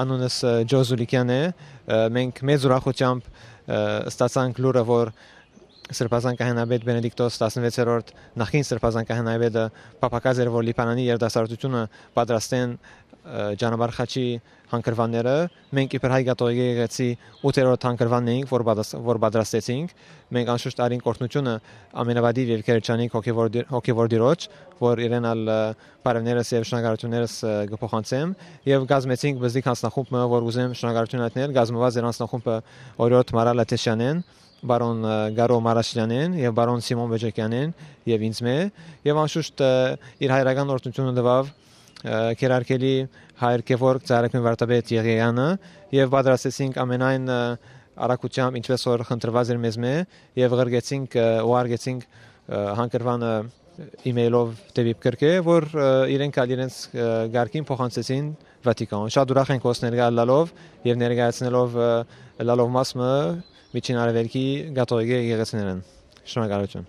անունս Ջոզուլիկյան է, մենք մեծ ուրախությամբ ստացանք լուրը, որ Սրբազան կահանաբեդ Բենեդիկտոս 16-րդ նախին Սրբազան կահանաբեդը պապակած էր, որ Լիբանանի երիտասարդությունը պատրաստեն Ջանաբար խաչի հանգրվանները, մենք իբր հայ կաթողիկ եկեղեցի 8-րդ հանգրվանն էինք, որ պատրաստեցինք, մենք անշուշտ արին կորտնությունը ամենավադիվ եւ քերչանիկ հոգեվոր դիրոջ, որ իրենալ բարևներս եւ շնորհակալություններս կփոխանցեմ եւ գազմեցինք բզդիկ հանձնախումբը, որ ուզեմ շնորհակալություն հայտնել, գազմված էր հանձնախումբը Օրիորդ Մարալ Աթեշյանեն, Բարոն Գարո Մարաշլյանեն եւ Բարոն Սիմոն Բեջեկյանեն եւ ինձ մե եւ անշուշտ իր հայրական օրհնությունը տվավ քերարկելի հայր Գևորգ Ծառայքին վարդապետ Եղիայանը եւ պատրաստեցինք ամենայն արագությամբ ինչպես որ խնդրված էր մեզ մե եւ ղրգեցինք ու արգեցինք հանգրվանը email-ով դեպի կրկե որ իրենց գարկին փոխանցեցին Վատիկան շատ ուրախ ենք ոսներ գալալով եւ ներկայացնելով լալով մասը միջին արևելքի կաթողիկ եկեղեցիներն շնորհակալություն